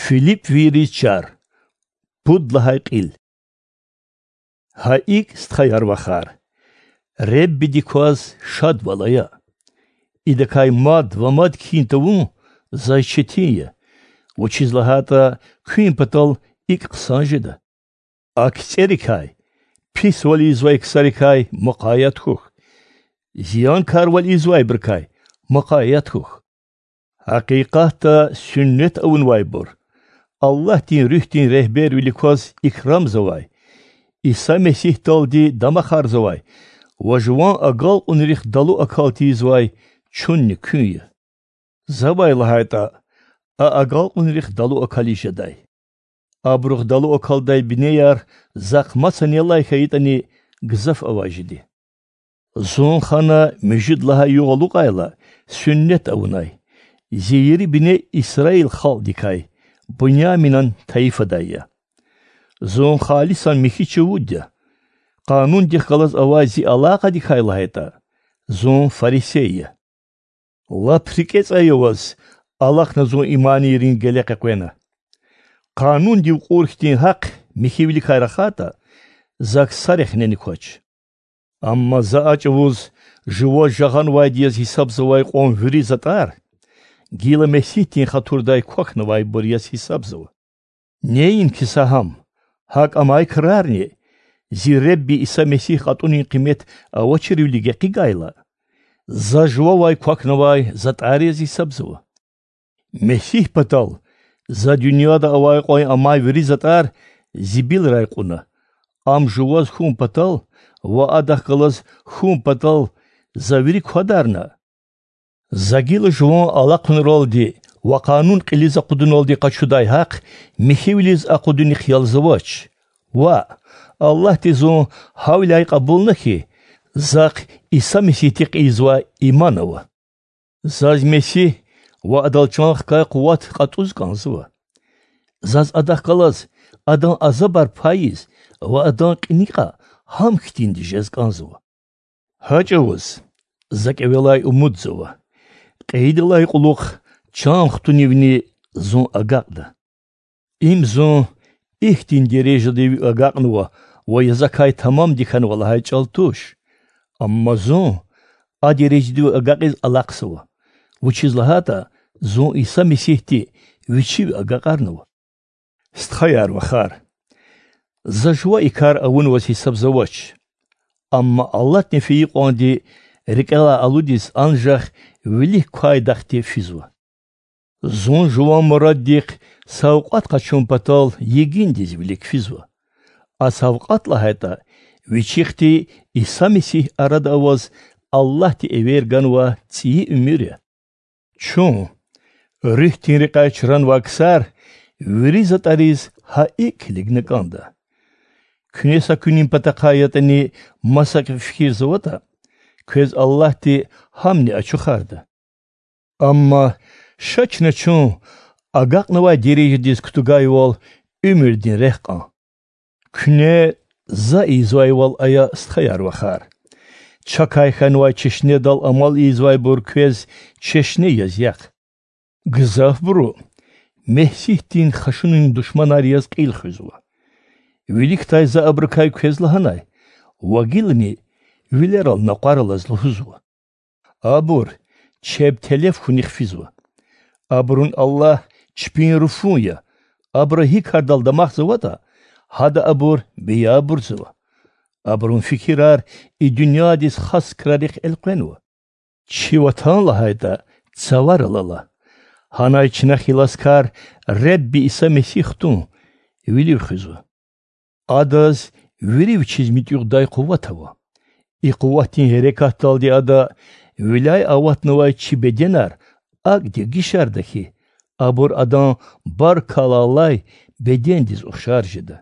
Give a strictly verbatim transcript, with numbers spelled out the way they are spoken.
Филиппвийриз чар. Пуд лагьай кьил. Гьа икӀ, стхаяр-вахар, Худадин кваз шадвал ая. Идакай мад ва мад кхьин тавун заз четин я, вучиз лагьайтӀа куьн патал икӀ хъсан жеда. А кицӀерикай, писвал ийизвай ксарикай мукъаят хьухь, зиянкарвал ийизвайбурукай мукъаят хьухь. Гьакъикъатда суьннет авунвайбур, Аллагьдин Руьгьдин регьбервилик кваз икрамзавай, Иса Месигьдалди дамахарзавай ва жуван агалкьунрихъ далу акал тийизвай чунни куьн я. Завай лагьайтӀа, а агалкьунрихъ далу акализ жедай. Абурухъ далу акалдай бинеяр захъ маса нелай хьайитӀани, гзаф авай жеди. Зун хана муьжуьд лагьай югъ алукьайла, суьннет авунай, зи ери бине Исраил халкьдикай, Буняминан тайифадай я. Зун халисан михьи чувуд я. Къанундихъ галаз авай зи алакъадикай лагьайтӀа, зун фарисей я. Лап рикӀе цӀай аваз, алахъна зун иманийрин геле къекъвена. Къанундив кьур хьтин гьахъ михьивиликай рахайтӀа, за ксарихъ нени квач. Амма за а чӀавуз жуваз жагъанвайди яз гьисабзавай кьван вири затӀар гила Месигьдин хатурдай квахьнавайбур яз гьисабзава. Неинки са гьам, гьакӀ амай крарни, зи Худа Иса Месигь кьатӀунин къимет авачирвиле гекъигайла, за жувавай квахьнавай затӀар яз гьисабзава. Месигь патал за дуьньяда авай кьван амай вири затӀар зибилрай кьуна, ам жуваз хьун патал ва адахъ галаз хьун патал за вири квадарна. За гила жуван алахъунралди ва къанун кьилиз акъудуналди къачудай гьахъ михьивилиз акъудунихъ ялзавач. Ваъ, Аллагьди зун гьавиляй кьабулна хьи, захъ Иса Месигьдихъ ийизвай иман ава. Заз Месигь ва Адал чан хкай къуват кьатӀуз кӀанзава. Заз Адахъ галаз Адан азабар пайиз ва Адан кьиникьа гьам хьтинди жез кӀанзава. Гьа чӀавуз за кӀевелай умудзава, кьейидалай кьулухъ чан хтунивни зун агакьда. Им зун ихьтин дережадив агакьнава ва я закай тамамди хьанва лагьай чӀал туш. Амма зун а дережадив агакьиз алахъзава, вучиз лагьайтӀа зун Иса Месигьди Вичив агакьарнава. Стхаяр-вахар, за жува и кар авунваз гьисабзавач. Амма Аллагьдин фейи кьванди рикӀелай алудиз анжах вилик квай дахди физва. Зун жуван мураддихъ савкьват къачун патал йигиндиз вилик физва. А савкьват лагьайтӀа, вичихъди Иса Месигь арада аваз Аллагьди эвер ганвай цӀийи уьмуьр я. Чун, руьгьдин рекьяй чранвай ксар, вири затӀариз гьа икӀ килигна кӀанда. Куьне са куьнин патахъай ятӀани масакӀа фикирзаватӀа, квез Аллагьди гьамни ачухарда. Амма ша чна чун агакьнавай дережадиз кутугайвал уьмуьрдин рехъ кьан. Куьне за ийизвайвал ая, стхаяр-вахар. Чакай хьанвай чешнедал амал ийизвайбур квез чешне яз яхъ. Гзафбуру Месигьдин хашунин душманар яз кьил хуьзва. Виликдай за абурукай квез лагьанай ва гилани вилерал накъвар алаз лугьузва. Абур чеб телеф хьунихъ физва. Абурун Аллагь чпин руфун я, абуру гьи кардал дамахзаватӀа, гьада абур беябурзава. Абурун фикирар и дуьньядиз хас крарихъ элкъвенва. Чи ватан лагьайтӀа, цаварал ала. Гьанай чна хиласкар Худа Иса Месигь хтун вилив хуьзва. Адаз вири вичиз муьтӀуьгъдай къуват ава. И къуватдин гьерекатдалди Ада виляй аватнавай чи беденар акӀ дегишарда хьи, абур Адан баркалла алай бедендиз ухшар жеда.